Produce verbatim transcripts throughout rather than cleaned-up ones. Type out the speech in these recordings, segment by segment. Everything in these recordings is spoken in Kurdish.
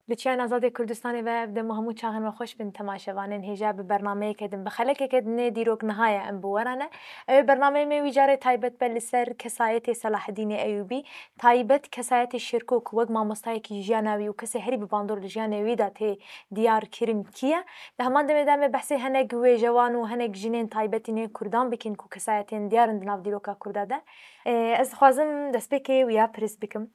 Li Çiyayên Azadê Kurdistanê ve ev dem û hemû çaxên we xweş bin temaşevanên hêja bi bernameyeke din, bi xelekeke din ê dîrok niha ye em bi we re ne. Ew ê bernameyê me wî carê taybet be li ser kesayetê Selahedînê Eyûbî, taybet kesayetê Şêrko ku wek mamostayekî jiyana wî û kesê herî bi bandor li jiyanê wî de tê diyar kirin kî ye. Di heman demê de em ê behsê hinek wêjewan û hinek jinên taybetî nê Kurdan bikin ku kesayetên diyar in di nav dîroka Kurda de. Ê, ez dixwazim destpêkê wiya pirs bikim.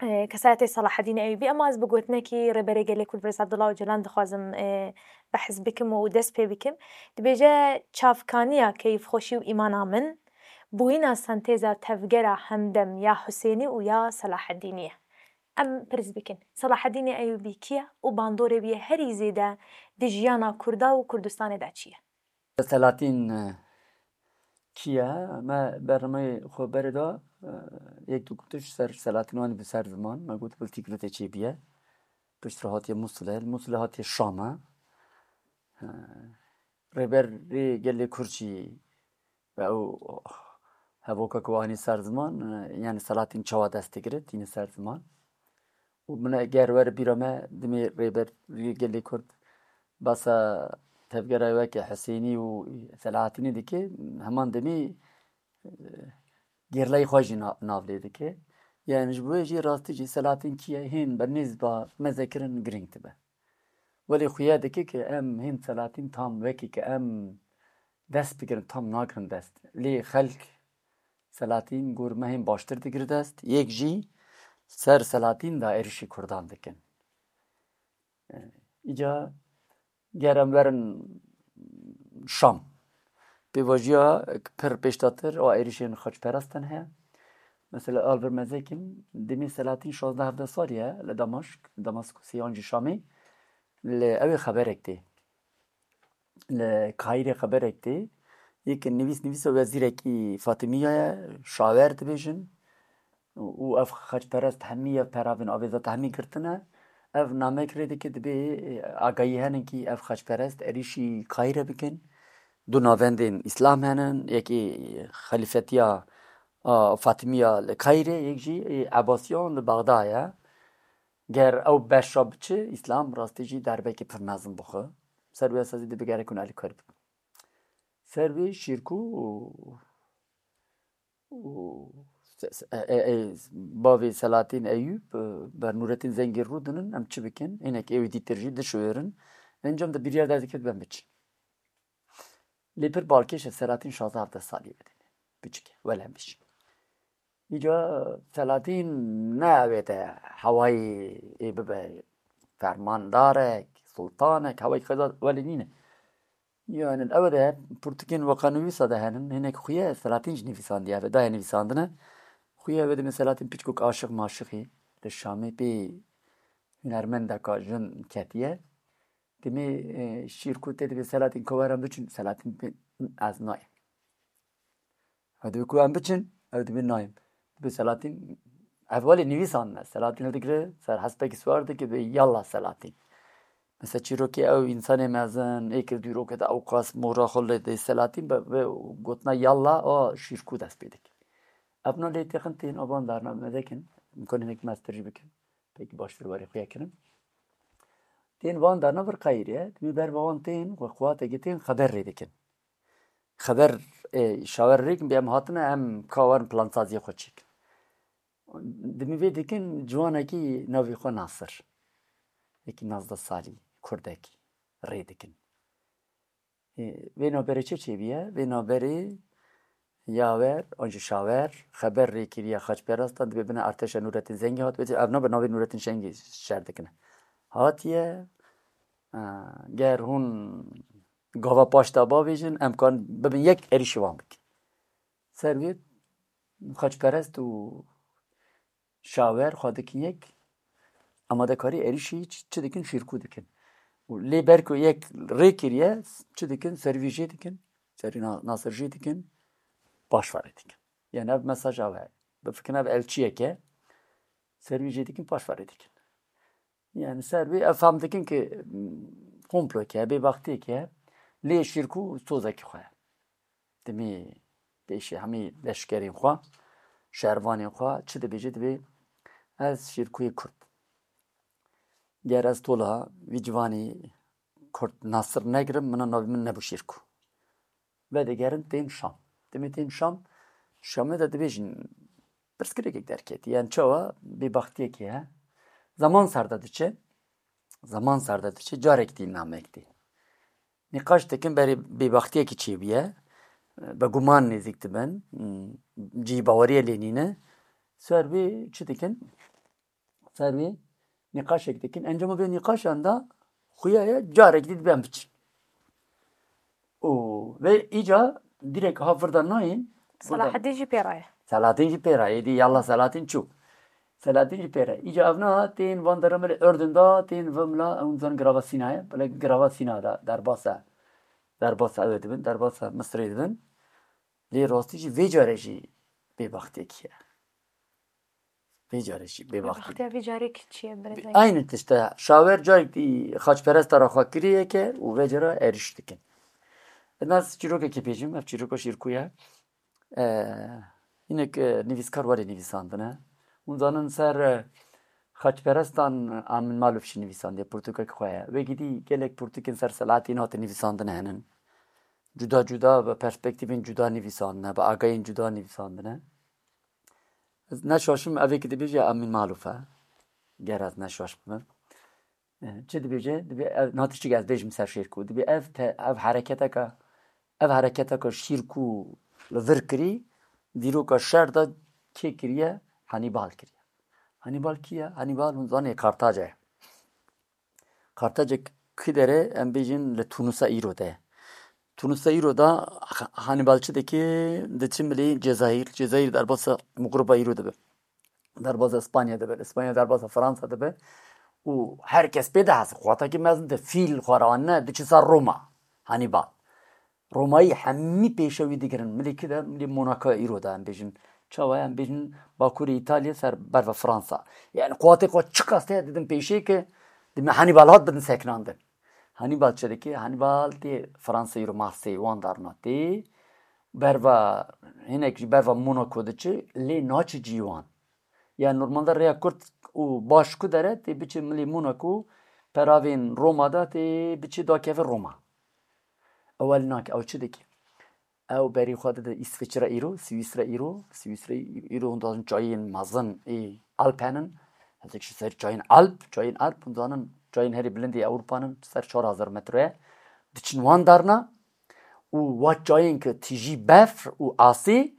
Ê, kesayetê Selahedînê Eyûbî, ema ez bi gotinekî Rêberê Gelê Kurd Birêz Abdullah Ocalan dixwazim, ê, behs bikim û dest pê bikim. Dibêje, çavkaniya keyfxweşî û îmana min, bûyîna sentêza tevgera hemdem ya Husênî û ya Selahedînî ye. Em pirs bikin, Selahedînê Eyûbî kî ye û bandorê wî yê herî zêde di jiyana Kurda û Kurdistanê de çi ye? Selatîn, e, kî ye? Me bernameyê xwe berê da, e, yek du gotiş ser Selatîn, wanî bi ser ziman. Me got, biltî girûtê çêbûye. Piştre hatiye Musilê. Li Musilê hatiye Şam e. E, Rêberê Gelê Kurd jî ve ew hevoka ku anî ser ziman, e, yani Selatîn çawa dest digire, tîne ser ziman. Û min eger were bîra me, dimê Rêberê Gelê Kurd basa tevgera weke Husênî û Selahattinî dike, heman demî, e, gerleyê xwe jî na-, nav lê dike. Yani ji bo wê jî rastî jî Selahattin kî ye, hîn bi nêz ba meze kirin girîng dibe. Welê xuya dike ke em hîn Selahattin tam wekî ke em dest bigirin, tam nagirin dest. Lê xelk Selahattin gor me hîn baştir digir dest. Yek jî ser Selahattin de êrişî Kurdan dikin. E, îca ger em werin Şam. Pêvajiya pir pêşdatir a êrişên xaçperestan heye. Mesela, al vir mezekin, demê Selahattin şazdeh hevdeh salî ye li Damaşk, Damaskusê yan jî Şamê. Li ew ê xeberek tê. Li Kahîrê xeberek tê. Yek nivîs, nivîsa wezîrekî Fatimiya ye, şawer dibêjin. Û ev xaçperest hemî ye peravên avêzata hemî girtine. Ev namek rê dike, dibê, e, agahî henin kî ev xaçperest êrîşî Kahîre bikin. Du navendên Îslam henin, yekî xelîfetiya, a, Fatimiya li Kahîre, yek jî, e, Ebasiyan li Bexda ye. Ger ew beşa biçi, Îslam rastî jî derbekî pir mezin bixwe. Ser wê esasî dibê gerek hûn alîkar bibin. Ser wê Şîrkû û, û se-, se-, e, e, e, bavê Selahattin Eyûb, e, ber Nûrettîn Zengî rû dinin, em çi bikin? Hinek êwî dîtir jî dişuêrin. Encam de biryar derdikevt ben biçin. Lê pir balkêş e, Selahattin şazdeh hevdeh salî bidin. Biçik e, welem biçin. Îca Selahattin ne avête hewayê ê bibe fermandarek, sultanek, hewayê xeza welê nîne. Yani ew de pirtûkên weka nivîsa de henin, hinek xuye Selahattin jî nivîsandiye, ev daye nivîsandine. Xuye ew de min Selahattin piçkok aşiq maşiqî li Şamê pê hunermendeka jin ketiye. Demê, e, Şîrkû tê dibê Selahattin ko werin biçin, Selahattin bê ez nayêm. Ew dibê ku em biçin, ew dibê nayêm. Dibê Selahattin, ev welê nivîsandine. Selahattin hildigire, ser hespekî siwar dike, dibê yallah Selahattin. Mesela çîrokê ew însanê mezin, ê kir dîrokê de ewqas mora xwe lê dê Selahattin be, be gotina yallah a Şîrkû dest pê dike. Ev na lê têxin tên a van darna me dekin, imkanê hinek mestir jî bikin. Pêkî baştir werê xwe kirin. Tên van darna vir Qeyrê, dimê ber van tên, xwe quwateke tên xeber rê dikin. Xeber, e, şawer rê kin, bê em hatine, em ka werin plansaziya xwe çêkin. Dimê vê dikin, ciwanekî navê xwe Nasir. Yekî nazdeh salî, kurdekî, rê dikin. Ê, vê navberê çi çêbûye? Vê navberê yawer, an jî şawer, xeber rê kiriye xaçperestan, dibê bine artêşa Nûrettîn Zengî hat, bêje ev nabe navê Nûrettîn Zengî şer dikine. Hatiye, e, ger hûn gava paş de bavêjin, em kan bibin yek êrîşî wan bikin. Ser vê xaçperest û şawer xwe dikin yek, amadekarî êrîşî çi, çi dikin, Şîrkû dikin. Û lê ber ku yek rê kiriye, çi dikin, serî vî jê dikin, serî Na-, Nasir jê dikin, paşverê dikin. Yani ev mesaja we. Bifikirin ev elçiyek e, serî vî jê dikin, paşverê dikin. Yani ser vê ev fam dikin ki, m, komploke, bêbextiyeke, lê Şîrkû sozekî xwe ye. Dimê pêşî hemî leşkerên xwe, şervanên xwe çi dibêje, dibê ez Şîrkûyê Kurd. Ger ez tola vî ciwanî Kurd Nasir negirim, mina navê min nebû Şêrko. Vedigerin tên Şam. Demê tên Şam, Şamê de dibêjin pirsgirêkek derketî. Yani çawa bêbaxtiyekê he. Zaman ser de diçe, zaman ser de diçe, carek dî namek dî. Nîqaş dikin berê bêbaxtiyekî çêbûye. Bi guman nêzîk dibin. Cî baweriyê lê nîne. Ser wê çi dikin? Ser wê nîqaşek dikin. Encama vê nîqaşan da xuya ye, carek dî diben biçin. Û vê îca direk ha vir de nayên. Vir de Selahaddin jî pê re ye. Selahaddin jî pê re ye. Dî yallah Selahaddin çû. Selahaddin jî pê re. Îca ev na tên van deremelê Urdun da, tên vimla ew zan girava Sîna ye. Bile girava Sîna da derbasa. Derbasa ew dibin, derbasa Misirê dibin. Lê rastî jî vê care jî bêbaxtiyekî ye. Vê care jî bêbaxtî. Bêbaxtiya vê carê çi ye, birêz? Aynı tişt e. Şawer carek dî xaçperesta re xwe kirî yeke û vê cara êrîş dikin. Ez çîrokekê bêjim, ev çîroka Şîrkû ye. Ee, hinek, e, nivîskar were nivîsandine. Hûn zanin ser, e, xaçperestan Amin Maluf jî nivîsandiye, pirtûkek xwe ye. Wekî dî gelek pirtûkên ser Selahattin hate nivîsandine henin. Cuda cuda bi perspektîfên cuda nivîsandine, bi agayên cuda nivîsandine. Ez neşaşim, evê ki dibêje Amin Maluf e. Ger ez neşaş bibim. E, çi dibêje? Dibê ev, na tiştik ez bêjim ser Şêrkû. Dibê ev te-, ev hereketeka, ev hereketeka Şîrkû li vir kirî, dîroka şer de kê kiriye? Hannibal kiriye. Hannibal kî ye? Hannibal hûn zanê Kartaca ye. Kartacek kî dere, em bêjin li Tunisa îro de. Tunisa îro de Ha-, Hannibal çi dike? Diçe milê Cezayir. Cezayir derbasa Mugruba îro dibe. Derbasa Spanya dibe. Spanya derbasa Fransa dibe. Û her kes pê dihese. Xwatekî mezin de fîl xwe re anîne, diçe ser Roma. Hannibal. Romayî hemî pêşe wî digirin. Milê kî de, milê Monaco îro de em bêjin. Çawa em bêjin Bakurê Îtalya ser berva Fransa. Yani quwatê xwe çiqas heye didin pêşê ki dime Hannibal hat bidin sekinandin. Hannibal çi dike? Hannibal tê Fransa îro Marseille wan darna tê. Berva, hinek jî berva Monaco diçe, lê naçe cî wan. Yani normalde rêya kurt û baş ku dere, tê biçe milê Monaco, peravên Roma da tê biçe dakeve Roma. Ew el nake, ew çi dike? Ew berî xwe dide Îsviçre îro, Swîsre îro, Swîsre îro hûn dixwazin çayên mezin ê Alp henin. Hezek ji ser çayên Alp, çayên Alp, hûn dizanin çayên herî bilind ê Ewropa nin, ser çar hezar metre ye. Diçin wan darna û wa çayên ki tijî befr û asê,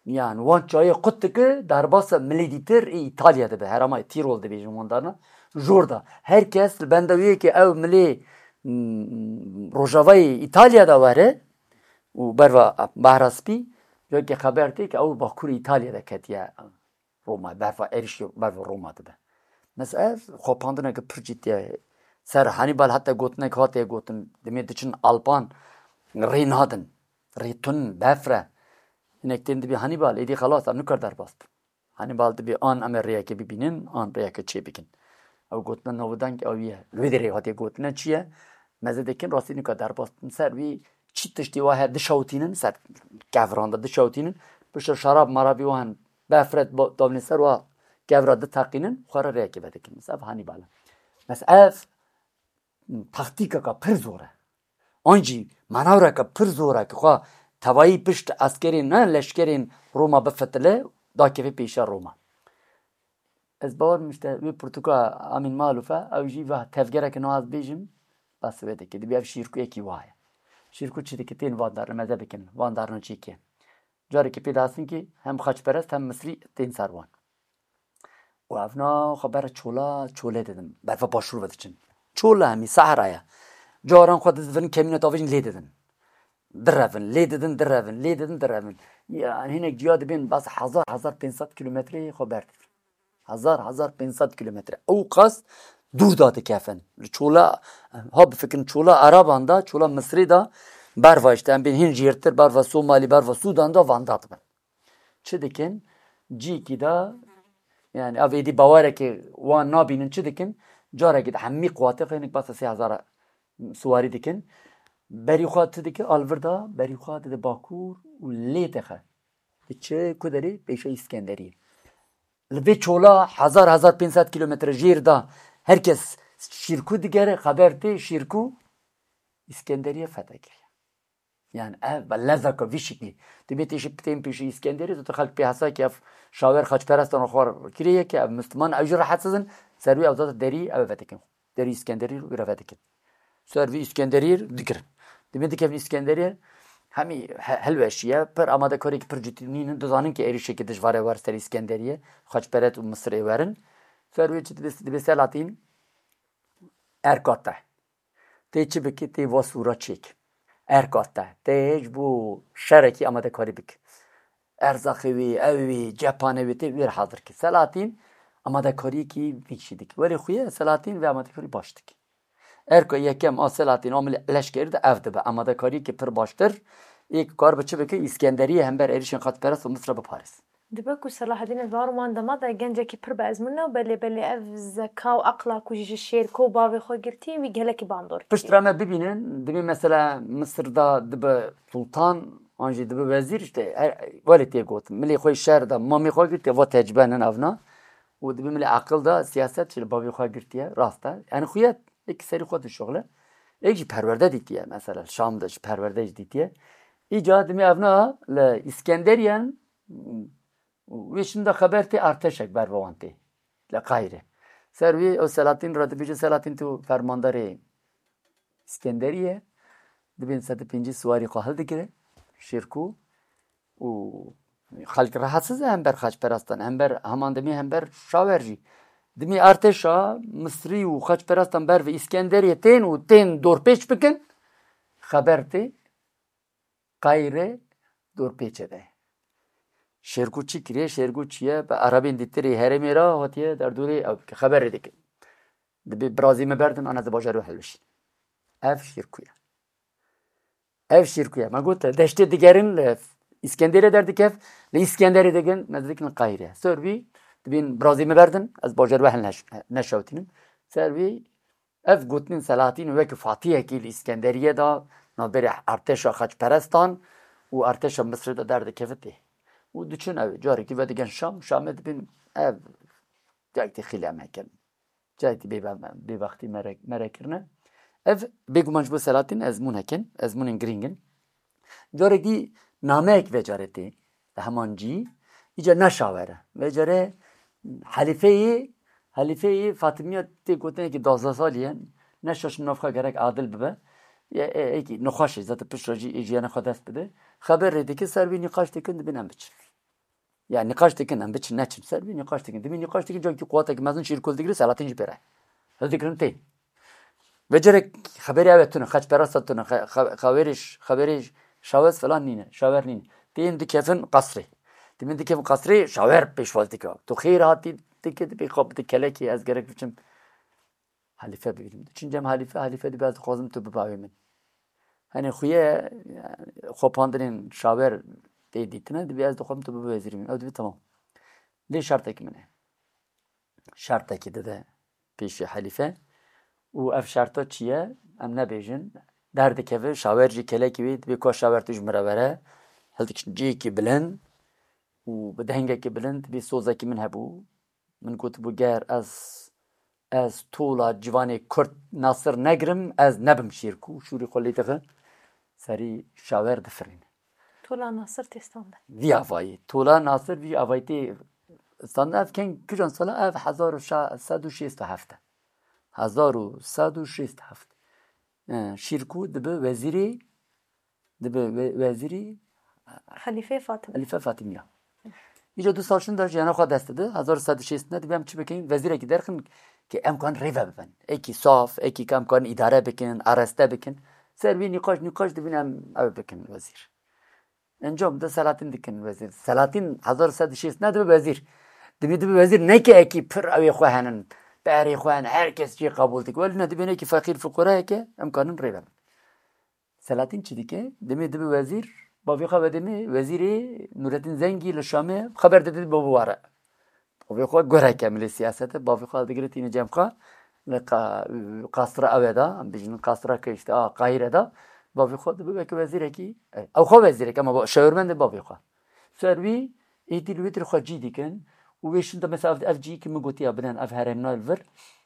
yan wan çayê qut dike, derbasa milê dîtir ê Îtalya dibe, herêma Tîrol dibêjin wan darna. Jor da her kes li benda wê yekê ew milê, mm, rojavayê Îtalya de were, û berva Behra Spî, weke xeber tê ke ew bakurê Îtalyê de ketiye Roma, berva êrîşê berva Roma dibe. Mesela ev xwepandineke pir cidî ye. Ser Hannibal heta gotinek hatiye gotin, demê diçin Alpan rê nadin. Rê tun, befr e. Hinek tên dibî Hannibal, êdî xelas, em nikar derbas bin. Hannibal dibî an em ê rêyekê bibînin, an rêyekê çêbikin. Ew gotina navdeng ew ye. Li wê derê hatiye gotine çi ye? Meze dikin rastî nika derbas dikin. Ser wî çi tiştê wa heye dişewtînin, ser kevran de dişewtînin. Piştre şerab marabî wan befret ba-, davnê ser wa kevra diteqînin, xwe re rêyekê vedikin. Mesela ev Hannibal e. Mesela ev taktîkeka pir zor e. An jî manevreke pir zor e, ki xwe tevayî pişt eskerên, ne leşkerên Roma bifitile, dakeve pêşiya Roma. Ez bawer im işte wê pirtûka Amîn Malûf e, ew jî va tevgereke niha ez bêjim, bes wê dike. Dibê ev Şîrkûyekî wa ye. Şîrkû çi dike? Tên van darna meze bikin, van darna çêke. Carekê pê dihestin ki hem xaçperest hem Misrî tên ser wan. Û evna xwe ber çola, çolê didin. Berfa başûr ve diçin. Çola hemî sehra ye. Caran xwe dizivin kemîna tavêjin lê didin. Direvin, lê didin, direvin, lê didin, direvin. Yani hinek cuya dibên bas hezar, hezar pênc sed kilometreyê xwe berdidin. Hezar, hezar pênc sed kilometre. Ew qas dûr da dikefin. Li çola, ha bifikirin çola Eraban da, çola Misrê da, berva işte em bên hin jêrtir, berva Somalî, berva Sûdan da, van da dibin. Çi dikin? Cîkî de, yani ev êdî bawerekê wan nabînin, çi dikin? Carekî de hemî quwatê xwe hinek basa sê hezar siwarî dikin. Berî xwe tu dike, alvir da, berî xwe dide Bakur û lê dixe. Diçe ku derê? Pêşa Îskenderiyê. Li vê çola hezar, hezar pênc sed kilometre jêr da, her kes Şîrkû digere, xeber tê Şîrkû Îskenderiye fethe kiriye. Yani ev lezaka vî şiklî. Tu bê tê jî, tên pêşî Îskenderî, tu xelk pê hesa ki ev şawer xaçperestan xwar kiriye ki ev Müslüman, ew jî rahatsiz in, ser wî ew zat derî ew vedikin. Derî Îskenderî wî re vedikin. Ser vî Îskenderî digirin. Dibên dikevin Îskenderî, hemî he-, hilweşiye, pir amadekariyekî pir cidî nînin, dizanin ki êrîşekî dijwar e wer ser Îskenderiye, xaçperet û Misirê werin. Ser wî çi dibê, dibê Selahattin erka te. Tê çi bikî, tê va sûra çêk. Erka te. Tê ji bo şerekî amadekarî bikî. Erzaqê wî, ew wî, cephanê wî tê wî re hazir kî. Selahattin amadekariyekî vî kişî dikî. Welê xuye Selahattin vê amadekarî baş dikî. Erka yekem a Selahattin a milî leşkerî de ev dibe. Amadekariyekî pir baştir. Ê kar bi çi bike? Îskenderiyê hember êrîşên xaçperest û Misra biparêz. Dibe ku Selahaddîn ez bawer wan dema de gencekî pir bi ezmûn e û belê belê ev zeka û aqla ku jî ji Şêrko û bavê xwe girtî, wî gelekî bandor kiriye. Piştre me bibînin, dibê mesela Misir da dibe sultan, an jî dibe wezîr, işte her, welê tê gotin. Milê xwe şer da, mamê xwe girtiye, va tecbe nin evna. Û dibê milê aqil da siyaset ji li bavê xwe girtiye, rast e. Yani xuye êk serî xwe dişuxile. Êk jî perwerde dîtiye, mesela Şam de ji perwerde jî dîtiye. Îca dimê evna li Îskenderiyen Wê şinda xeber tê artêşek ber ve wan tê. Li Qahîre. Ser wî ew Selahattin re dibêje, Selahattin tu fermandarê Îskenderî ye. Dibên sed û pêncî siwarî xwe hildigire. Şêrkû û xelk rehetsiz e hember xaçperastan, hember heman demê hember şawer jî. Dimê artêşa Misrî û xaçperastan ber ve Îskenderiyê tên û tên dorpêç bikin. Xeber tê. Qayre dorpêçe de. Şêrgû çi kiriye? Şêrgû çi ye? Bi erebên dîtirê herêmê re hatiye derdorê ew dike. Xeberê dike. Dibê birazî me berdin, ana di bajarê helbişîn. Ev Şêrkû ye. Ev Şêrkû ye. Me got, deştê digerin li Îskenderê derdikev, li Îskenderê digin, me dikin Qayre. Ser vî, dibên birazî me berdin, ez bajarê we hel neş-, neşewtînim. Ser vî, Ev gotinên Selahatîn wek fatihekî li Îskenderiyê de navberê artêşa xaçperestan û artêşa Misirê de derdikeve tê. Û diçin ew carekî vedigen Şam, Şamê dibin ev cayekî xîlem hekin. Cayekî bêbe-, bêbextî mere-, mere kirine. Ev bêguman ji bo Selahatîn ezmûn hekin, ezmûnên girîng in. Carekî nameyek vecarê tê, li heman cî, îca ne şawer e. Vecarê helîfeyê, helîfeyê Fatimiya tê gotinekî duwazdeh salî ye, ne şaş min nav xwe gerek adil bibe. Ye, e, êkî nexweş e, zaten piştre jî ê jiyana xwe dest bide. Xeber rê dike, ser vî nîqaş dikin, dibin em biçin. Ya nîqaş dikin, em biçin neçin. Ser vî nîqaş dikin. Dimî nîqaş dikin, cakî quwateke mezin Şêrkû digire, Selahattin jî pê re. Hildigirin tê. Vecerek xeberê ew tune, xeçperasta tune, xe-, xe-, xeberê ş-, xeberê ş-, şawez falan nîne, şawer nîne. Tên dikevin qasrê. Dimî dikevin qasrê, şawer pêşwaz dike. Tu xêr hatî dike, dibê xwe bide kelekê, ez gerek biçim. Halife bibînim. Çin cem halife, halife dibe ez dixwazim tu bibe awê min. Hani xuye, yani, xwepandinên şawer tê dîtine, dibe ez dixwazim tu bibe wezîrê min. Ew dibe tamam. Lê şertek min e. Şertekî dide pêşî halife. Û ev şerta çi ye? Em nebêjin. Derdikeve şawer jî kelekî wê, dibe ku şawer tu ji min re were. Hildik cihekî bilind û bi dengekî bilind, dibe sozekî min hebû. Min gotibû, ger ez, ez tola ciwanê Kurd Nasir negirim, ez nebim Şêrkû. Şûrî xwe lê dixin. Serî şawer difirîne. Tola Nasir tê standin. Vî avayî. Tola Nasir vî avayî tê standin. Ev keng kijan sala? Ev hezar û sed û şêst û heft e. Hezar û sed û şêst û heft. E, Şêrkû dibe wezîrê, dibe we-, wezîrê Xelîfê Fatim. Xelîfe Fatimiya. Îca du sal şinda jiyana xwe dest dide, hezar û sed û şêst ne dibe em çi bikin? Wezîrekî derxin ki em kan rêve bibin. Êkî saf, êkî ki em kan îdare bikin, areste bikin. Ser vî nîqaş, nîqaş dibin em ew bikin wezîr. Encam de Selahattin dikin wezîr. Selahattin hezar û sed û şêst ne dibe wezîr. Dimî dibe wezîr ne ki êkî pir ew ê xwe henin, berê xwe henin, her kes jê qebûl dike. Welî ne dibe êkî feqîr fuqarayeke em kanin rêve bin. Selahattin çi dike? Demê dibe wezîr, bavê xwe vedê me, wezîrê Nurettin Zengî li Şamê xeber dide bo biware. Bavê xwe gureke milê siyasete, bavê xwe digire tîne cem xwe, li qa-, qasra ew e da, em bêjin qasra ke işte, a, Qahîre da, bavê xwe dibe weke wezîrekî, e, ew xwe wezîrek, ama ba-, şawermendê bavê xwe. Ser wî, êdî li wê dir xwe cî dikin û wê şin de mesela ev, ev cî ki min gotiya binen ev herêmna li vir,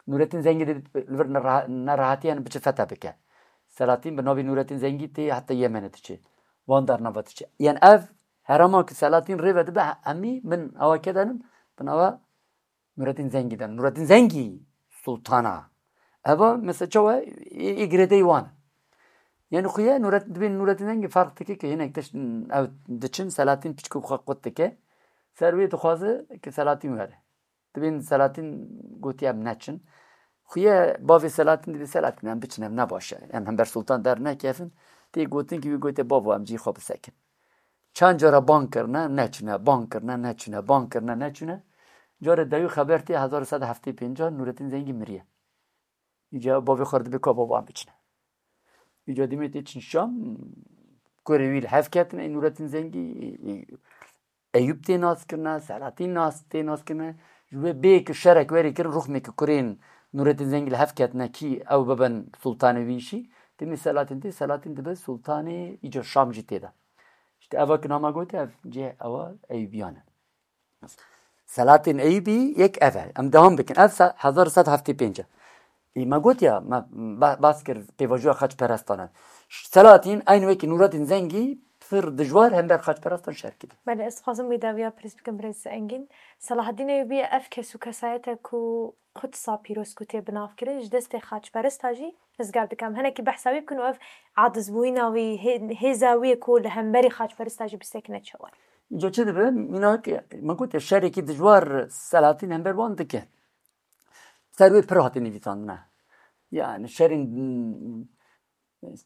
Nurettin Zengî de li vir nera-, nerehatiyan biçe fethe bike. Selahattin bi navê Nurettin Zengî tê heta Yemenê diçe. Van dar nava diçe. Yani ev herema ki Selahattin rêve dibe he-, hemî bin awa kedenin, bin awa Nurettin Zengî de. Nurettin Zengî sultana. Eva mesela çawa ê, ê girêdeyî wan. Yani xuye Nuret-, dibên Nurettin Zengî farq dike ki hinek tişt ew diçin Selahattin piçkû xwe qut dike. Ser wê dixwaze ki Selahattin were. Dibên Selahattin gotiye em neçin. Xuye bavê Selahattin dibê Selahattin em biçin em ne baş e. Em hember sultan dernekevin. Tê gotin ki wî gotiye bavo em cî xwe bisekin. Çend cara ban kirine, neçine, ban kirine, neçine, ban kirine, neçine. Carê dewî xeber tê hezar û sed heftê pênc Nurettin Zengî miriye. Îca bavê xwe dibê ka bavo em biçine. Îca dîmê tê çin Şam, kurê wî li hev ketine, ê Nurettin Zengî, ê, ê, Eyûp tê nas kirine, Selahattin nas, tê nas kirine. Ji wê bê ki şerek werê kirin, ruxmê ki kurên Nurettin Zengî li hev ketine kî ew bibin sultanê wî jî. Demê Selahattin tê, Selahattin dibe sultanê îca Şam jî tê de. İşte eva ki nama gote ev cih ewa Eyûbiyan e. Selahattin Eyûbî yek ev e. Em devam bikin. Ev se-, hezar sed heftê pênc e. Ê, me got ya, me ba-, bas kir pêvajoya xaçperestan e. Selahattin eyn wekî Nurettin Zengî pir dijwar hember xaçperestan şer kiriye. Belê, ez dixwazim wî dawiya pirs bikim birêz Engîn. Selahaddîn Eyûbî ev kes û kesayete ku Qudsa pîroz ku tê binavkirin ji destê xaçperesta jî rizgar dike. Em hinekî behsa wî bikin û ev acizbûyîna wî, hê-, hêza wî ku li hemberî xaçperesta jî bisekine çawa ye? Îca çi dibe? Mînak, me got ya, şerekî dijwar Selahattin hember wan dike. Ser wê pir hate nivîsandine. Yani şerên,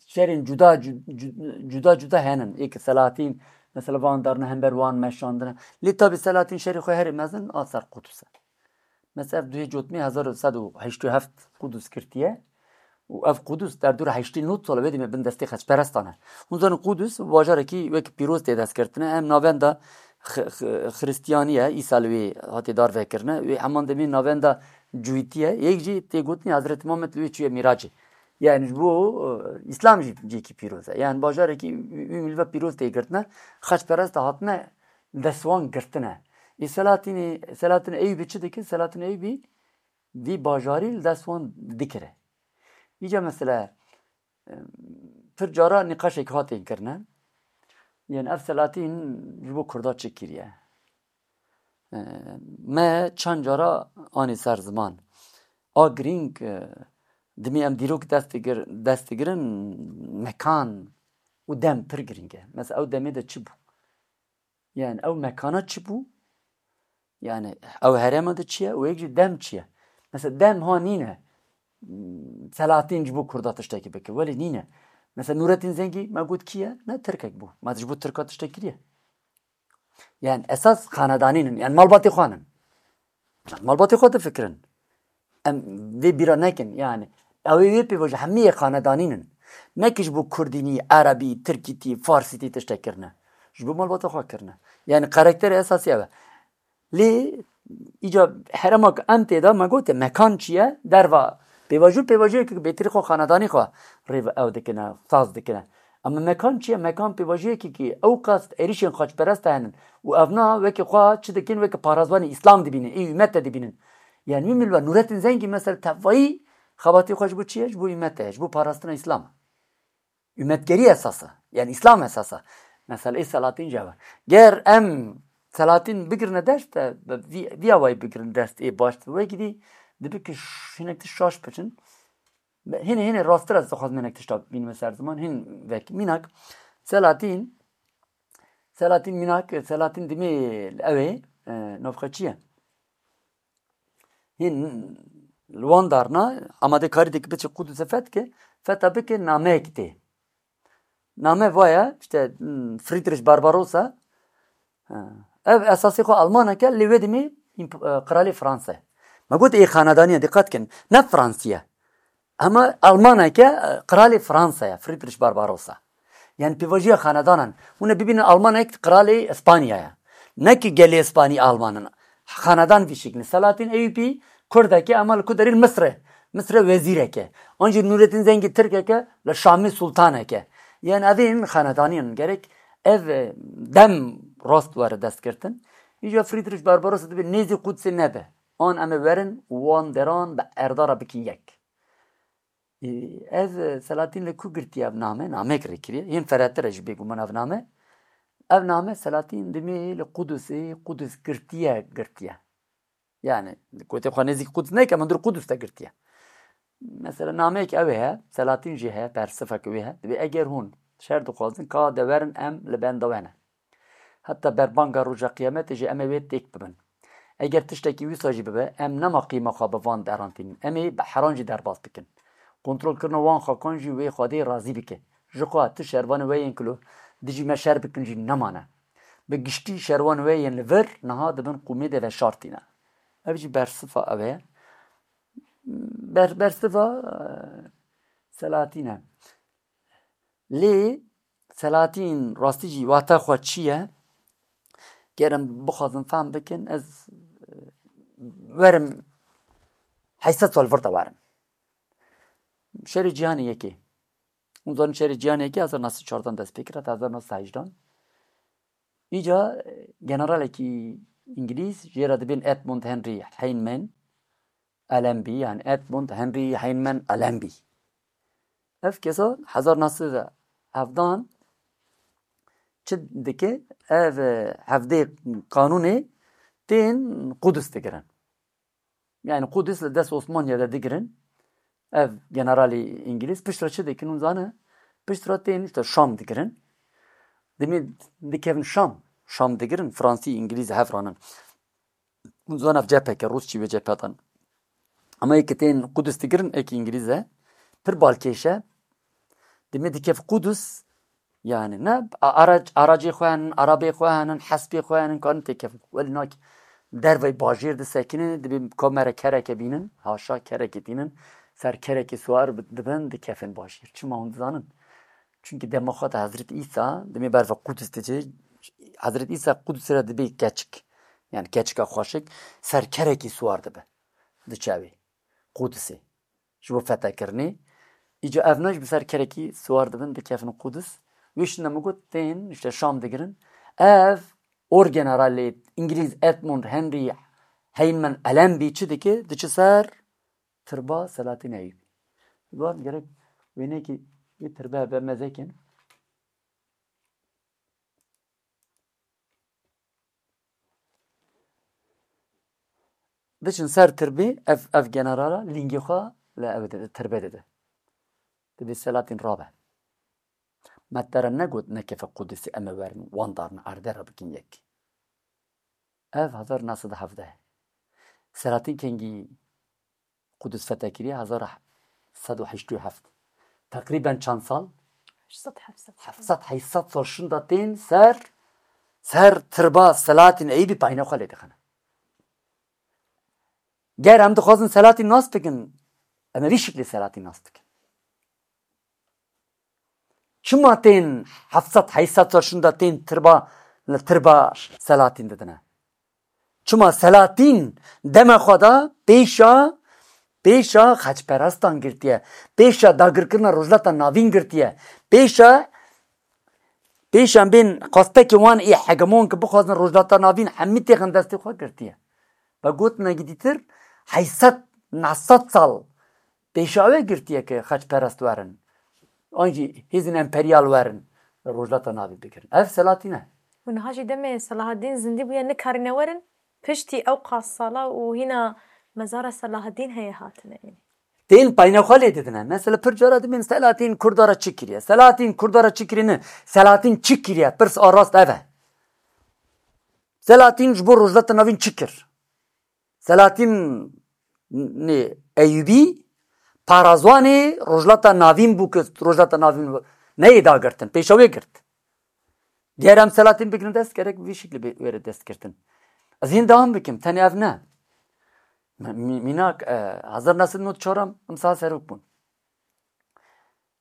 şerên cuda cu-, cu-, cuda cuda henin. Ê ki Selahattin, mesela van darine hember wan meşandine. Lê tabî Selahattin şerê xwe herê mezin a ser Qudus e. Mesela ev duhê cotmê hezar û sed û heştê û heft Qudus girtiye. Û ev Qudus derdora heştê nod sal e, wê demê bin destê xaçperestan e. Hûn zanin Qudus bajarekî wek pîroz tê destgirtine. Em navenda xi-, xi-, xiristiyanî ye, Îsa li wê hatê darvekirine. Wê heman demê navenda cûyîtî ye. Yek jî tê gotinê Hezretî Muhammed li wê çûye mîracê. Yani ji bo, e, Îslam jî cihekî pîroz e. Yani bajarekî wî, wî milve pîroz tê girtine. Xaçperest hatine li dest wan girtine. Ê Selahattinê, Selahattin Eyûbî çi dike? Selahattin Eyûbî vî bajarî li dest wan dikire. Îca mesela, em, pir cara nîqaşek hatên kirine. Yani ev Selahattin ji bo Kurda çi kiriye? E, me çend cara anî ser ziman. A girîng, e, dimî em dîrok dest digir-, dest digirin, mekan û dem pir girîng e. Mesela ew demê de çi bû? Yani ew mekana çi bû? Yani ew herêma de çi ye û yek jî dem çi ye? Mesela dem ha nîne, Selahattin ji bo Kurda tiştekî bike. Welê nîne. Mesela Nurettin Zengî me got kî ye? Ne Tirkek bû. Ma ji bo Tirka tiştek kiriye. Yani esas xanedanîn in. Yani malbatê xwe nin. Malbatê xwe difikirin. Em vê bîra nekin. Yani ew ê wê pêvajo hemî yê xanedanîn in. Ne ki ji bo Kurdînî, Erebî, Tirkîtî, Farsîtî tiştek kirine. Ji bo malbata xwe kirine. Yani karakterê esasî ew e. Lê îca herema ku em tê de me gote mekan çi ye? Derva pêvajo, pêvajoyeke ku bêtirî xwe xanedanî xwe rê ew dikine, saz dikine. Ama mekan çi ye? Mekan pêvajoyekî ki ew qas êrîşên xaçperest henin û evna weke xwe çi dikin, weke parazvanê Îslam dibînin, ê ûmete dibînin. Yani min milwe Nurettin Zengî mesela tevayî xebatê xwe ji bo çi ye? Ji bo ûmete ye, ji bo parastina Îslam. Ûmetgerî esas e. Yani Îslam esas e. Mesela ê Selahattin jî ev e. Ger em Selahattin bigirine dest, e, vî, vî awayî bigirine dest ê baş. Wekî dî dibe ki ş-, hinek tişt şaş biçin. Hînê, hînê rasttir ez dixwazim hinek tişta bînime ser ziman. Hîn vek mînak. Selahattin, Selahattin mînak, Selahattin dimê ew ê, e, navxwe çi ye? Hîn li wan darna, amadekarî dike biçe Qudusê feth ke, fetha bike nameyek tê. Name vaya, işte, hmm, Friedrich Barbarossa, ha, ev esasê xwe Almanek e, lê wê demê împ-, e, qiralê Fransa ye. Me got ê xanedanî ye, dîqet kin, ne Fransî ye. Hema Almanek e, qiralê Fransa ye, Friedrich Barbarossa. Yani pêvajoya xanedanan. Hûn ê bibînin Almanek qiralê Îspanya ye. Ne ki gelê Îspanî Alman in. Xanedan vî şeklî. Selahattin Eyûbî Kurdek e, ama li ku derê li Misir e. Misir e wezîrek e. An jî Nurettin Zengî Tirkek e, li Şamê sultanek e. Yani ev ên xanedanî in. Gerek ev, e, dem rast were destgirtin. Îca Friedrich Barbarossa dibê nêzî Qudsê nebe. An em ê werin û wan deran bi erda re bikin yek. Ê, ev, e, Selatîn li ku girtiye ev name? Namek rê kiriye. Yên Feretî re jî bêguman ev name. Ev name Selatîn dimê li Qudusê, Qudus girtiye, girtiye. Yani, kotê xwe nêzîk Quds neke, min dur Qudus te girtiye. Mesela nameyek ew heye, Selatîn jî heye, persifek wê heye. Dibê eger hûn şer dixwazin, ka de werin em li benda we ne. Heta berbanga roja qiyametê jî em ê wê têk bibin. Eger tiştekî wisa jî bibe, em nema qîma xwe bi van deran tînin. Em ê bi heran jî derbas bikin. Kontrolkirina wan xakan jî wê Xwedê razî bike. Ji xwe tu şervanê we yên ku li dijî me şer bikin jî nemane. Bi giştî şervanê we yên li vir niha di bin qûmê de veşartîne. Ev jî bersifa ew e. Ber-, bersifa, e, Selatîn e. Lê Selatîn rastî jî wata xwe çi ye? Ger em bixwazin fehm bikin, ez, e, werim heyşt sed sal vir de werim. Şerê Cîhanê Yekê. Hûn zanin Şerê Cîhanê Yekê hezar neh sed çardan dest pê kir, heta hezar neh sed hejdan. Îca, e, generalekî îngilîz, jê re dibên Edmund Henry Heyman Allenby, yani Edmund Henry Heyman Allenby. Ev kesa hezar neh sed hevdan çi dike? Ev, e, hevdê kanûnê tên Qudus digirin. Yani Qudus li dest Osmaniye de digirin. Ev generalê îngilîz piştre çi dikin hûn zane? Piştre tên işte Şam digirin. Dimê dikevin Şam. Şam digirin, Fransî, îngilîz hev ranin. Hûn zane ev cepheke, Rûsçî wê cephe dan. Ama yê ki tên Qudus digirin, ê ki îngilîz e. Pir balkêş e. Dimê dikev Qudus, yani ne a-, arac-, aracê xwe henin, arabê xwe henin, hespê xwe henin, karin têkevin. Welî nak dervey bajêr disekinin, dibê ka me re kereke bînin, haşa kereke tînin, ser kerekê siwar bi-, dibin, dikevin bajêr. Çima hûn dizanin? Çünkü dema xwe de Hezret Îsa, dimê berve Qudus diçe, Hezret Îsa Qudusê re dibê keçik. Yani keçika xweşik, ser kerekê siwar dibe. Diçe wê. Qudusê. Ji bo fetekirinê. Îca ev ne ji bi ser kerekî siwar dibin, dikevin Qudus. Wê şinde min got, tên, işte Şam digirin. Ev orgeneralê îngilîz Edmund Henry Heyman Allenby çi dike? Diçe ser tirba Selahattin Eyûbî. Wan gerek wênekî wê tirbe be mezekin. Diçin ser tirbê, ev, ev generala lingê xwe li ev de, tirbe dide. Dibê Selahattin rabe. Me te re negot nekeve Qudusê em ê werin wan darne erdê re bikin yek. Ev hezar neh sed hevdeh. Selahattin kengî Qudus fethe kiriye? Hezar sed û heştê û heft. Teqrîben çend sal? Heşt sed, heft sed. Heft sed, heşt sed sal şinda tên ser, ser tirba Selahattin Eyûbî payîna xwe lê dixine. Ger em dixwazin Selahattin nas bikin, em ê vî şiklê Selahattin nas bikin. Çima tên heft sed, heşt sed sal şinda tên tirba, li tirba Selahattin didine? Çima Selahattin dema xwe de pêşa, pêşa xeçperestan girtiye, pêşa dagirkirina Rojhilata Navîn girtiye, pêşa, pêşa bên xwestekê wan ê hegemon ki bixwazin Rojhilata Navîn hemî têxin destê xwe girtiye. Ve gotinekî dîtir, heşt sed, neh sed sal pêşa wê girtiye ke xeçperest werin. An jî hêzên emperyal werin, Rojhilata Navîn bigirin. Ev Selahattin e. Û niha jî demê Selahaddîn zindî bûye, nikarîne werin, piştî ew qas sala û hîna mezara Selahaddîn heye hatine. Tên payîna xwe lê didine. Mesela pir cara dibên Selahattin Kurda re çi kiriye? Selahattin Kurda re çi kiriye ne? Selahattin çi kiriye? Pirs a rast ev e. Selahattin ji bo Rojhilata Navîn çi kir? Selahattin nê Eyûbî parazwanê Rojhilata Navîn bû ku Rojhilata Navîn neyê dagirtin, pêşa wê girt. Diğer em Selahattin bigirin dest, gerek vî şekilî bê wêre dest girtin. Ez hîn dewam bikim, tenê ev ne. Mi-, mi-, mînak, e, hezar neh sed nod çar em, em sağ serok bûn.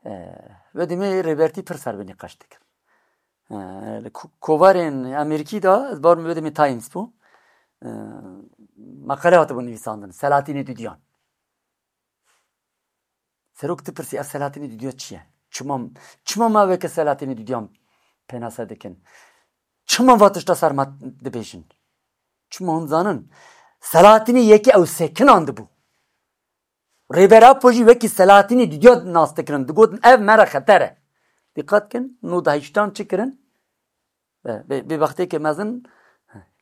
E, wê demê Rêbertî pir ser vê nîqaş dikir. E, li ko-, kovarên Amerîkî de, ez bawer wê demê Times bû. E, meqale hatibû nivîsandin, Selahattinê Duduyan. Serok dipirsî, ev Selahattinê Duduyan çi ye? Çima, çima me weke Selahattinê Duduyan pênase dikin? Çima va tişta ser me dibêjin? Çima hûn zanin? Selahattinê yekê ew sekinandibû. Rêber Apo jî wekî Selahattinê dudiya nas dikirin. Digotin, ev me re xeter e. Dîqat kin, nod û heştan çi kirin? Be-, be-, bêbexteke mezin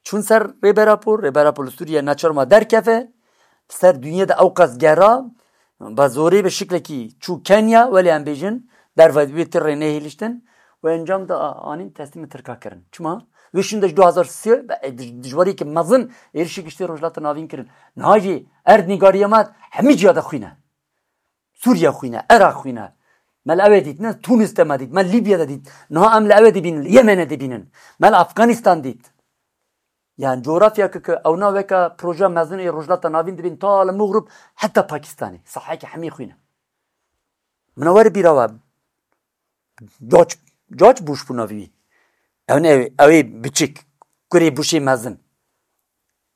çûn ser Rêber Apo. Rêber Apo li Sûriye neçar ma derkeve. Ser dinyê de ewqas gera, bi zorê bi şiklekî çû Kenya, welê em bêjin, derve wê tirê nehêliştin û encam de a-, anîn teslîmê Tirka kirin. Çima? Wê şûnde ji du hazar sê, be-, dij-, dijwariyeke mezin êrişî giştî Rojhilata Navîn kirin. Niha jî erd nîgariya me hemî ciya de xwîn e. Sûriye xwîn e, Iraq xwîn e. Me li ewê dît, ne Tûnis de me dît, me Lîbya de dît. Niha em li ewê dibînin, li Yemenê dibînin. Me li Afganistan dît. Yani coğrafya ki, ki ewna weke proje mezin ê Rojhilata Navîn dibîn ta li Mexrib heta Pakistanê. Sahayeke hemî xwîn e. Min were bîra we. George, George Bush bû navî wî. Ew ne, ew ê biçik. Kurê Bushê mezin.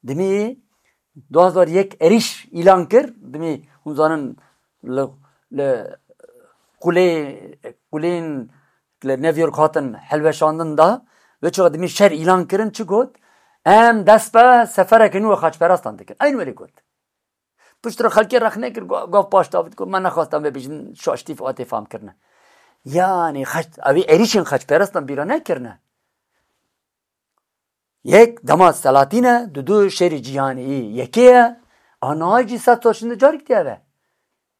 Dimî du hazar yek êrîş îlan kir. Dimî hûn zanin li, li qulê, qulên li New York hatin hilweşandin da. Wê çaxa dimî şer îlan kirin çi got? Em dest be sefereke nû xaçperastan dikin. Eyn welê got. Piştre xelkê rexne kir, ga-, gav paş davî digot, me nexwestan vê bijin şaştî hatê fam kirine. Yani xeç-, ew ê êrîşên xeçperastan bîra nekirine. Yek dema Selahatîn e, du du şerê cîhanê yê yekê ye. A niha jî sed sal şinde carek diye ve.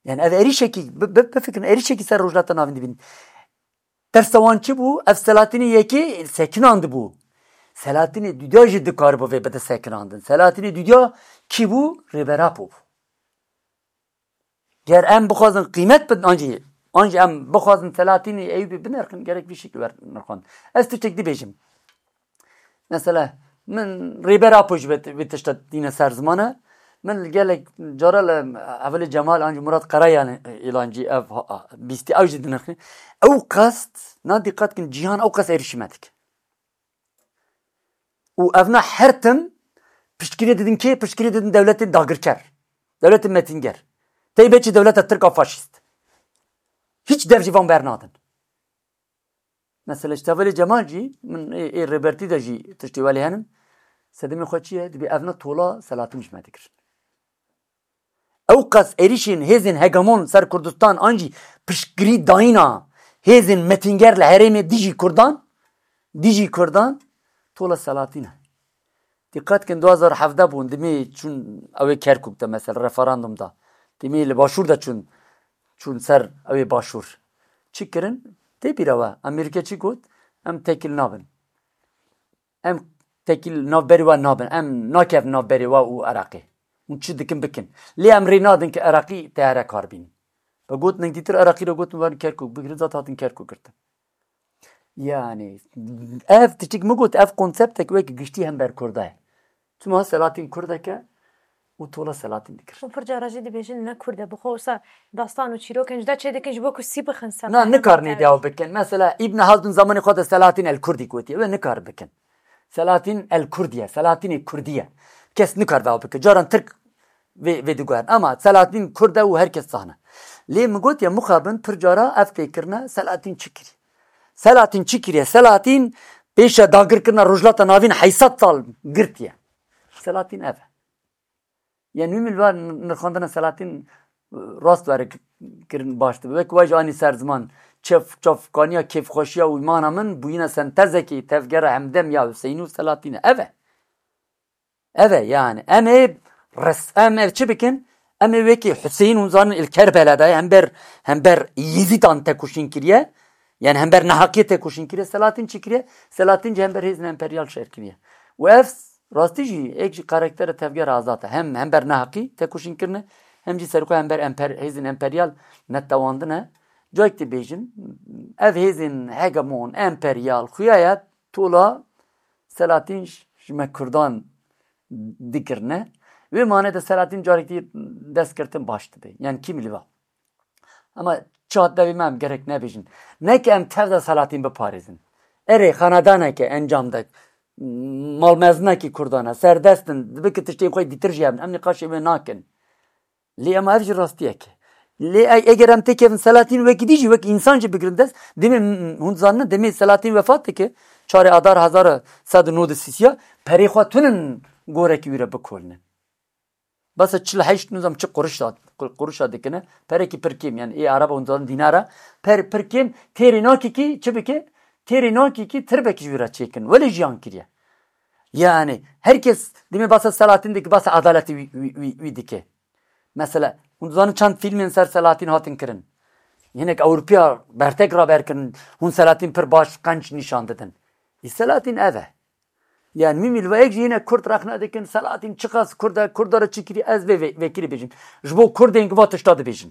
Yani ev êrîşekî, bi, bi, bifikirin, êrîşekî ser Rojhilata Navîn dibîn. Tersa wan çi bû? Ev Selahatînê yekê sekinandibû. Selahatînê dudiya jî dikaribû vê bide sekinandin. Selahatînê dudiya kî bû? Rêber Apo bû. Ger em bixwazin qîmet bidin, an jî, an jî em bixwazin Selahatînê Eyûbî binirxin, gerek vî şekil wer nirxand. Ez tiştek dibêjim. Mesela, min Rêber Apo jî vê, vê tişta tîne ser ziman e. Min li gelek cara li Hevalê Cemal an jî Murat Karayan îlan jî ev ha-, bîstî ew jî dinirxin. Ew qast, na dîqat kin, cîhan ew qast êrîşî me dike. Û evna her tim piştgirî didin kê? Piştgirî didin dewletên dagirker. Dewletên metînger. Teybet jî dewleta Tirk a faşîst. Hiç dev jî van bernadin. Mesela ji Hevalê Cemal jî, min ê, ê Rêbertî de jî tiştê welê henin. Sedemê xwe çi ye? Dibê evna tola Selahattin ji me dikirin. Ew qas êrîşên hêzên hegemon ser Kurdistan an jî piştgirî dayîna hêzên metînger li herêmê dijî Kurdan, dijî Kurdan, tola Selahattin e. Dîqet kin, du hazar hevdeh bûn, dimê çûn ew ê Kerkûk de, mesela, referandum da. Dimê li Başûr de çûn, çûn ser ew ê Başûr. Çi kirin? Tê bîra we, Amerîka çi got? Em tekil nabin. Em tekil navberê we nabin. Em nakevin navberê we û Iraqê. Hûn çi dikin bikin. Lê em rê nadin ki Iraqî teyare kar bînin. Ve got, nengdîtir Iraqî re gotin, werin Kerkûk bigirin, zat hatin Kerkûk girtin. Yani, ev tiştik min got, ev konseptek wek giştî hember Kurda ye. Çima Selahattin Kurdek e û tola Selahattin dikir. Û pir cara jî dibêjin ne Kurd e, bi xwe wisa dastan û çîrokên ji de çê dikin ji bo ku sî bixin ser Na, meydan nikarin ê tevî. Dewa bikin. Mesela, Îbn Haldun zamanê xwe de Selahattin el Kurdî gotiye. Wê nikar bikin. Selahattin el Kurdiye, Selahattinê Kurdiye. Kes nikar vewa bike. Caran Tirk vê, vê diguherin. Ama Selahattin Kurd e û her kes zane. Lê min gotiye, mixabin pir cara ev tê kirine, Selahattin çi kiriye? Selahattin çi kiriye? Selahattin pêşe dagirkirina Rojhilata Navîn heyşt sed sal girtiye. Selahattin ev e. Yani wî min li va nirxandina Selahattin, e, rast were k-, kirin baş dibe. Wek we jî anî ser ziman, çev-, çavkaniya kêfxweşiya û îmana min bûyîna sentezekî tevgera hemdem ya Huseyîn û Selahattin e. Ev e. Ev e yani. Em ê res-, em ev çi bikin? Em ê wekî Huseyîn hûn zanin il Kerbela de hember, hember Yezîdan tekoşîn kiriye. Yani hember neheqiyê tekoşîn kiriye. Selahattin çi kiriye? Selahattin jî hember hêzên emperyal şer kiriye. Û ev rastî jî êk ji karakterê tevgera azad e. Hem hember neheqî tekoşîn kirine, hem jî serxwe hember emper-, hêzên emperyal netewandine. Cayek dibêjin, ev hêzên hegemon, emperyal, xuya ye tola Selahattin ji, ji me Kurdan dikirine. Wê mane de Selahattin carek dî dest girtin baş dibe. Yani kî li va. Ama çi hat devê me em gerek nebêjin. Ne ki em tev de Selahattin biparêzin. Erê, xanedaneke encam de, malmezinekî Kurdan e, serdest in, dibe ki tiştên xwe dîtir jî hebin. Em nîqaşê wê nakin. Lê ema ev jî rastiyek e. Lê e-, eger em têkevin Selahattin wekî dî jî, wek însan jî bigirin dest, demê m-, hûn zanine, demê Selahattin wefat dike, çarê Adar hezar sed û nod û sî ya, perê xwe tunin gorekî wî re bikolinin. Basa çil heşt nizam çi qurişa, qurişa dikine, perekî pir kêm, yani ê Araba hûn zanin dînara, per, pir kêm, têrê nakî kî, çi bike? Têrê nakî kî tirbekî ji wî re çêkin. Welê jiyan kiriye. Yani, her kes, demê basa Selahattin dike, basa adaletî wî, wî, wî, wî dike. Mesela, hûn dizanin çend fîlmên ser Selahattin hatin kirin. Hinek Ewropiya bertek raber kirin, hûn Selahattin pir baş qenc nîşan didin. Ê Selahattin ev e. Yani, mîmî li vayek jî yine Kurd rexne dikin, Selahattin çiqas Kurd e, Kurda re çi kiriye, ez vê ve-, vekirî bêjim. Ji bo Kurdên ki va tişta dibêjin.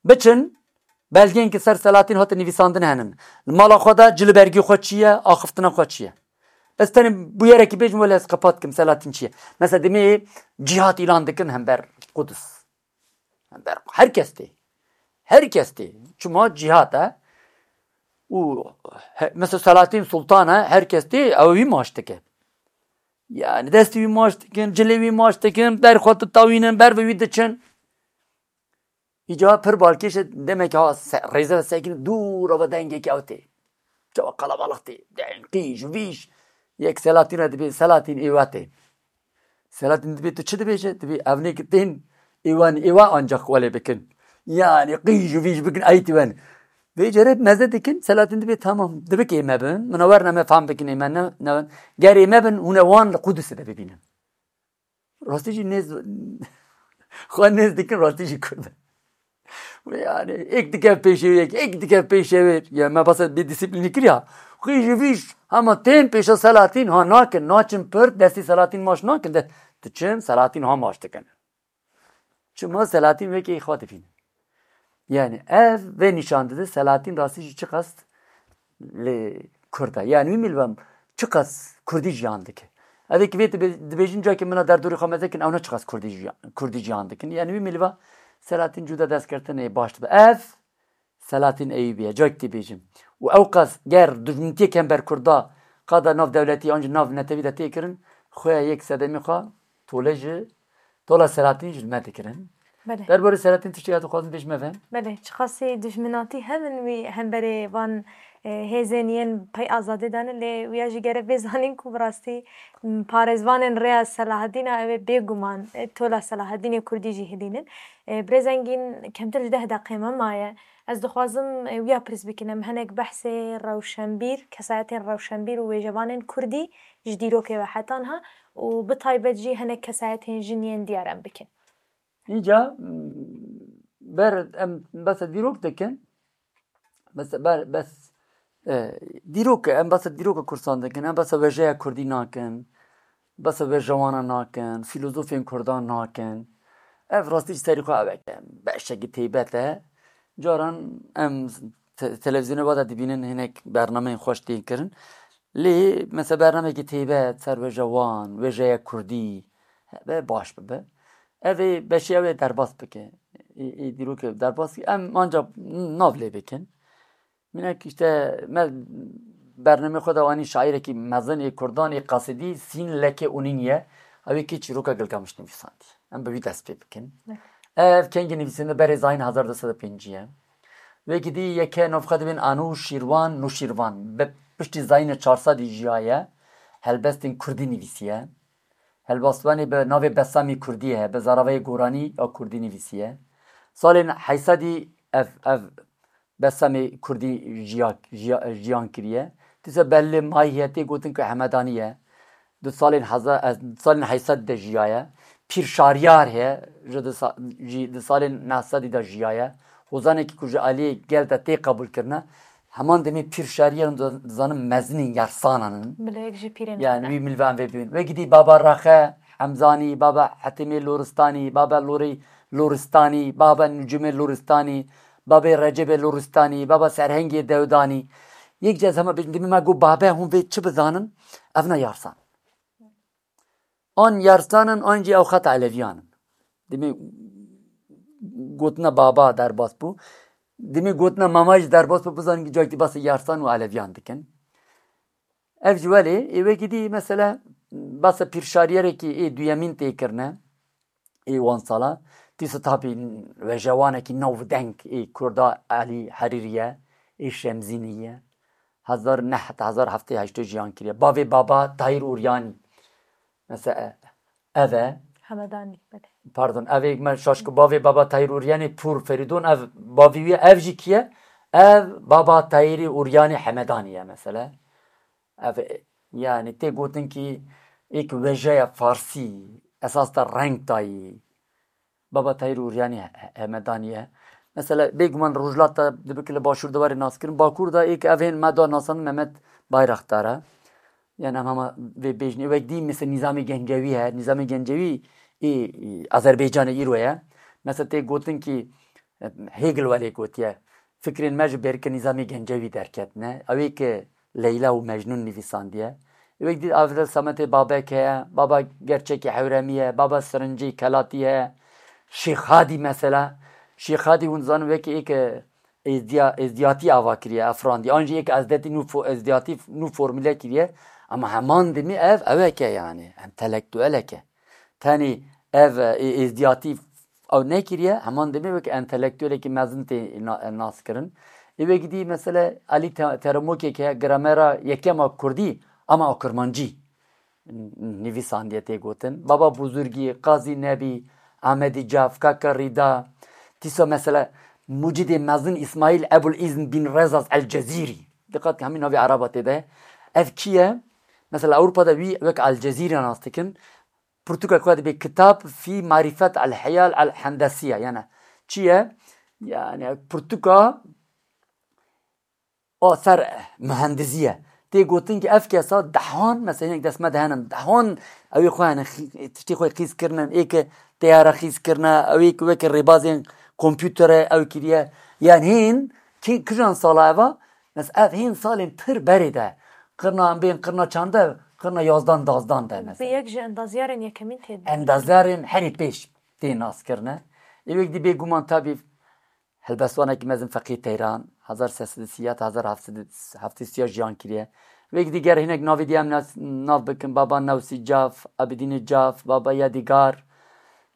Biçin, belgeyên ki ser Selahattin hate nivîsandin henin. Li mala xwe de cilibergî xwe çi ye, axiftina xwe çi ye? Ez tenê bûyerekî bêjim, wele ez qepat kim Selahattin çi ye. Mesela demê cîhat îlan dikin hember Qudus. Hember her kes tê. Her kes tê. Çima cîhat e. Û he, mesela Selahattin Sultan e, her kes tê, ew wî maç dike. Yani destê wî maç dikin, cilê wî maç dikin, ber xwe ditawînin, ber bi wî diçin. Îca pir balkêş e, demek ha se-, rêze ve sekin dûr ava dengekî ew tê. Çawa qalabalix tê. Deng, qîj, vîj. Yek Selahattin re dibê, Selahattin êwa tê. Selahattin dibê, tu çi dibêje? Dibê, ev nê ki tên êwan, êwa ancak welê bikin. Yani qîj û vîj bikin, ey tiwen. Vê cere meze dikin, Selahattin dibê, tamam, dibik ê me bin. Mina werna me fam bikin ê me ne, ne, ger ê me bin, hûn e wan li Qudusê de bibînin. Rastî jî nêz, xwe nêz dikin, rastî jî Kurd e. Yani, ek dike pêşê wê, ek dike pêşê wê. Ya me basa bê disiplînî kiriya. Xwe jî vîj, hema tên pêşa Selahattin ha nakin, naçin pir, destî Selahattin maç nakin de. Diçin, Selahattin ha maç dikin. Çima Selahattin wekî xwe dibîne. Yani, ev vê nîşan dide, Selahattin rastî jî çiqas li Kurd e. Yani, wî milvan çiqas Kurdî jiyan dike. Ev ê ki vê dibe-, dibêjin, cakê mina derdorî xwe meze kin, ew ne çiqas Kurdî jiyan, Kurdî jiyan dikin. Yani, wî milva Selahattin cuda dest girtin ê baş dibe. Ev Selahattin Eyûbî ye, cak tê bêjim. Û ew qas ger dijmintiye kember Kurda qada nav dewletî an jî nav netewî de tê kirin, xwe yek sedemî xwe tole ji tola Selahattin ji me dikirin. Belê. Derbarê Selahattin tiştê ya dixwazin bêj me ve? Belê, çiqasî dijminatî hebin wî hemberê van, e, hêzên yên pey azadê dane, lê wiya jî gerek bê zanîn ku bi rastî, m, parêzvanên rêya Selahaddîna ew ê bêguman, e, tola Selahaddînê Kurdî jî hilînin. E, birêz Engîn, kemtir ji deh deqê me maye. Ez dixwazim, e, wiya pirs bikim, em hinek behsê rewşenbîr, kesayetên rewşenbîr û wêjevanên Kurdî ji dîrokê ve heta niha û bi taybet jî hinek kesayetên jin yên diyar em bikin. Îca, m, ber em behsa dîrok dikin. Bes, ber, bes, e, dîrok, em behsa dîroka Kurdistanê dikin, em behsa wêjeya Kurdî nakin, behsa wêjewana nakin, fîlozofên Kurdan nakin. Ev rastî ji serî xwe ev e, beşekî taybet e. Caran em te-, televîzyonê ve de dibînin hinek bernameyên xweş tên kirin. Lê mesela bernamekî taybet ser wêjewan, wêjeya Kurdî, hebe baş bibe. Ev ê beşê ew ê derbas bike. Ê, ê dîrokê derbas bike. Em anca nav lê bikin. Minek işte me bernamê xwe de anî şairekî mezin ê Kurdan ê qasidî Sîn Leke Unîn ye. Ew ê kî çîroka Gilgamiş nivîsandiye. Em bi wî dest pê bikin. Ev kengî nivîsîne berê zayîn hezar du sed û pêncî ye. Wekî dî yeke nav xwe dibên Anûşîrwan Nûşîrvan. Bi piştî zayînê çar sedî jiyaye. Helbestên Kurdî nivîsiye. Helbestvanê bi navê Besamê Kurdî ye. Bi zaravayê goranî ya Kurdî nivîsiye. Salên heysedî ev, ev Besamê Kurdî jiya, jiya, jiyan kiriye. Dîsa belê mayî heye tê gotin ku Hemedanî ye. Di salên heza-, ez, salên heyşt sed de jiyaye. Pîr Şariyar heye, ji di sa-, jî di salên neh sedî de jiyaye. Hozanekî ku ji aliyê gel de tê qebûl kirine, heman demê Pîr Şariyar hûn dizanin mezinên yersanan in. Bila yek ji pîrên Yani xwe de. Wî milvan vê bibin. Wekî dî Baba Rexe Hemzanî, Baba Hetimê Loristanî, Baba Lorê Loristanî, Baba Nucumê Loristanî, Babê Recebê Loristanî, Baba Serhengê Dewdanî. Yek cez hema bêjin, demê me got babe, hûn vê çi bizanin? Ev ne yarsan. An yarsan in, an jî ew xeta Eleviyan in. Demê gotina baba derbas bû. Demê gotina mama jî derbas bû, bizanin ki cakî basê yarsan û Eleviyan dikin. Ev ji welê, ê wekî dî, mesela, basa pîrşariyerekî ê duyemîn tê kirine, ê wan sala. Dîsa tabî wêjewanekî navdeng ê Kurda Elî Herîrî ye, ê Şemzînî ye. Hezar neh heta hezar heft sed heştê jiyan kiriye. Bavê baba Tahîr Uryanî. Mesela ev e. Hemedanî, belê. Pardon, ev ê me şaşkibavê Baba Tahîr Uryanî Pûr Ferîdon, ev bavî wî ye, ev jî kî ye? Ev Baba Tahîrê Uryanî Hemedanî ye mesela. Ev, e, yani tê gotin kî êk wêjeya farsî, esas de reng dayî. Baba Tahîr Uryanî he-, Hemedanî ye. Mesela bêguman Rojhilat de dibe ki li Başûr de were naskirin. Bakur de êk ev hên me da nasandin Mehmet Bayraktar e. Yani em hema vê bêjin. Ê wek dî mesela Nîzamê Gencewî he. Nîzamê Gencewî ê, ê Azerbaycanê îro ye. Mesela tê gotin ki, e, Hegel welê gotiye. Fikrên me ji berke Nîzamê Gencewî derketine. Ew ê ki Leyla û Mecnûn nivîsandiye. Ê wek dî ev de Sametê Babek heye, Baba Gerçekî Hewremî ye, Baba Sirincê Kelatî heye, Şêx Hadî mesela. Şêx Hadî hûn zanin wekî êk êzdiya-, êzdiyatî ava kiriye, efrandî. An jî êk ezdetî nû fo-, êzdiyatî nû formule kiriye. Ama heman demê ev ewek e yani, entelektuelek e. Tenê ev, e, êzdiyatî ew nekiriye, heman demê wek entelektuelekî mezin tê na-, naskirin. Ê wek dî mesela Elî Te-, Teremokek heye, gramera yekem a kurdî, ama a kurmancî n-, nivîsandiye tê gotin. Baba Buzurgî, Qazî Nebî, Amedî Caf, Kaka Rîda, dîsa mesela mucidê mezin Îsmaîl Ebul Îzn bin Rezaz El Cezîrî. Diqat ke hemî navê Eraba tê de. Ev kî ye? Mesela Ewropa de wî wek El Cezîrî nas dikin. Pirtûka ku dibê Kitab fî Marîfet El Heyal El Hendesiye. Yani çi ye? Yani pirtûka o ser muhendizî ye. Tê gotin ki ev kesa dehan, mesela hinek dest me de henin, dehan ew ê xwe hene xî-, tiştê xwe qîz kirinin, ê ki teyara xîz kirine, ew ê ki weke rêbazên kompûtere ew kiriye. Yani hên kî-, kijan sala eva? Mesela ev hên salên pir berê de. Qirna em bên qirna çande, qirna yazdan dazdan de mesela. Bi yek ji endazyarên yekemîn tê de. Endazyarên herî pêş tê nas kirine. Ê wek dî bêguman tabî helbestvanekî mezin Feqî Teyran, hezar sê sed û sî ya ta hezar heft sed û heftê sî ya jiyan kiriye. Wek dî ger hinek navê dî em nas-, nav bikin, Baba Newsî Caf, Abidînê Caf, Baba Yadîgar,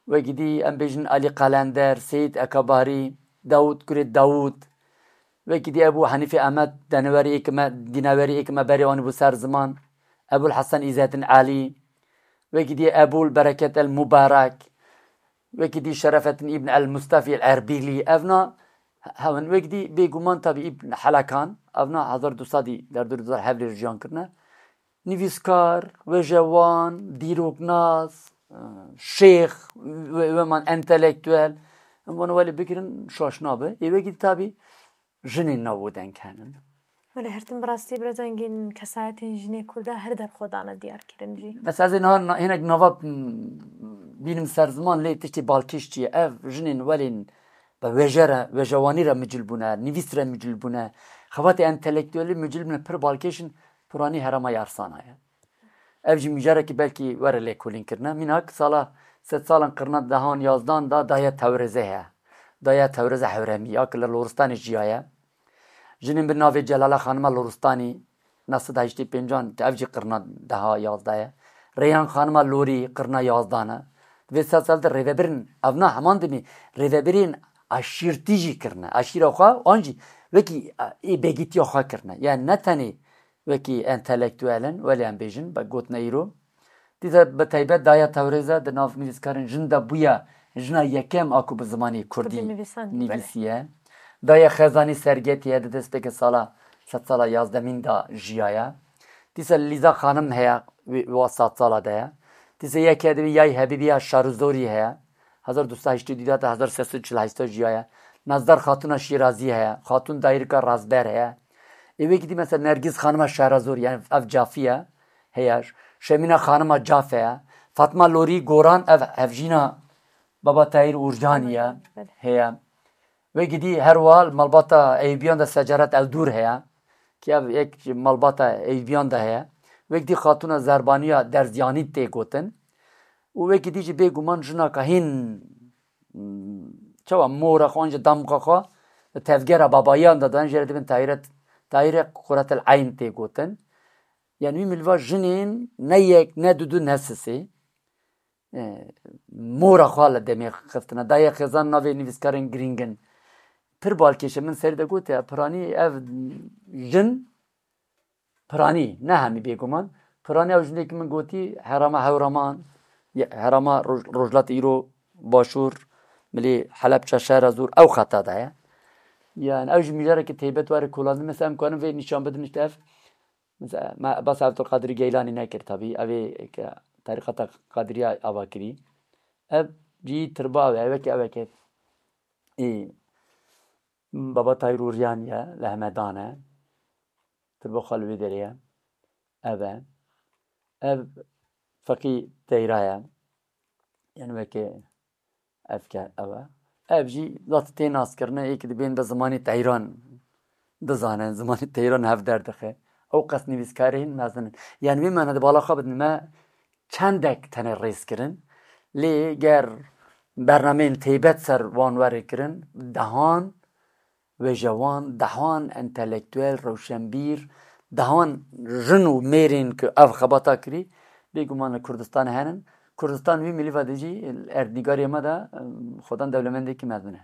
wek dî em bêjin Alî Qalender, Seyîd Ekabarî, Dawûd Kurê Dawûd, wekî dî Ebû Henîfê Emed, denewerî êk me, dînewerî êk me berê anî bû ser ziman, Ebûl Hesen Îzettin Elî, wekî dî Ebûl Bereket El Mubarek, wekî dî Şerefettin Îbn El Mustafî El Erbîlî, evna hewin, wekî dî bêguman tabî Îbn Helekan, evna hezar du sedî derdor du hezar hevlê jiyan kirine. Nivîskar, wêjewan, dîroknas, e, şêx, we-, weman entelektuel, em wan welê bikirin şaş nabe. Ê wekî tabî jinên nav û deng henin. Wele her tim bi rastî bira dengên kesayetên jinê Kurda her der xwe dane diyar kirin jî. Mesela ez ê niha na-, hinek nava, m, bînim ser ziman lê tiştê balkêş çi ye? Ev jinên welên bi wêje re, wêjewanî re micil bûne, nivîs re micil bûne. Xebatê entelektuelî micil bûne pir balkêş in, piranî herema Yarsana ye. Ev jî mijarekî belkî were lêkolîn kirine. Mînak sala sedsalan qirna dehan yazdan da daye Tewrêzê heye. Daye Tewrêze Hewremî ya ki li Loristanê jiyaye. Jinên bi navê Celala Xanima Loristanî, neh sed heştê pêncan, ev jî qirna deha yazda ye. Reyhan Xanima Lorî qirna yazdan e. Di vê sedsal de rêvebirên, evna heman demê rêvebirên aşîrtî jî kirine. Aşîra xwe, an jî wekî, e, ê begîtiya xwe kirine. Yani ne tenê wekî entelektuel in, welê em bêjin, be gotina îro. Dîsa bi taybet Daya Tewrêze di nav nivîskarên jin de bûye jina yekem a ku bi zimanê kurdî nivîsiye. Daya Xezanî Sergetiye di destpêkê sala sedsala yazdemîn de jiyaye. Dîsa Lîza Xanim heye, wê, wa sedsala de ye. Dîsa yeke di wî Yay Hebîbiya Şarûzorî heye. Hezar du sed heştê û du de heta hezar sê sed û çil heşt jiyaye. Nazdar Xatuna Şîrazî heye. Xatun Dayirka Razber heye. Ê wekî dî mesela Nergîz Xanima Şehrazor, yani ev Cafî ye, heye. Şemîna Xanima Caf heye. Fatma Lorî Goran, ev hevjîna Baba Tahîr Urcanî ye, heye. Wekî dî her wiha li malbata Eyûbiyan de Secaret Eldûr heye, ki ev yek ji malbata Eyûbiyan de heye. Wekî dî Xatuna Zerbaniya Derzyanî tê gotin. Û wekî dî jî bêguman jinaka hîn, çawa mora xwe an jî damga xwe li tevgera babayiyan de dan, jê re dibin Tahîre, Tahîre Quretel Eyn tê gotin. Yani wî milva jinên ne yek, ne dudu, ne sisê, e, mora xwe li demê xistine. Dayê Xêzan navê nivîskarên girîng in. Pir balkêş e, min serî de gotiye, piranî ev jin, piranî, ne hemî bêguman, Piraniya ew jinekî min gotî herama Hewraman, ye-, herama Roj-, Rojhilat îro Başûr, milê Helebçe, Şehrazûr, ew xeta de ye. Yani ew jî mijarekî teybet were kolandin. Mesela em karin vê nîşan bidin işte ev. Mesela me behsa Abdulkadirî Geylanî nekir tabî. Ev ê ke terîqeta Kadiriya ava kirî. Ev cî tirba ev e, wekî ev e ke ê Baba Tahîr Uryan ye, li Hemedan e. Tirba xwe li wê derê ye. Ev e. Ev Feqî Teyra ye. Yani wekî ev ke ev e. Ev jî zat tê naskirine, ê ki dibên bi zimanê Teyran dizane, zimanê Teyran hev derdixe. Ew qas nivîskarên mezin in. Yani wê mane di bala xwe bidin me çendek tenê rêz kirin. Lê ger bernameyên teybet ser wan were kirin, dehan wêjewan, dehan entelektuel, rewşenbîr, dehan jin û mêrên ku ev xebata kirî, bêguman li Kurdistan henin. Kurdistan wî milîva de jî erdnîgarê me de, em, xwedan dewlemendekî mezin e.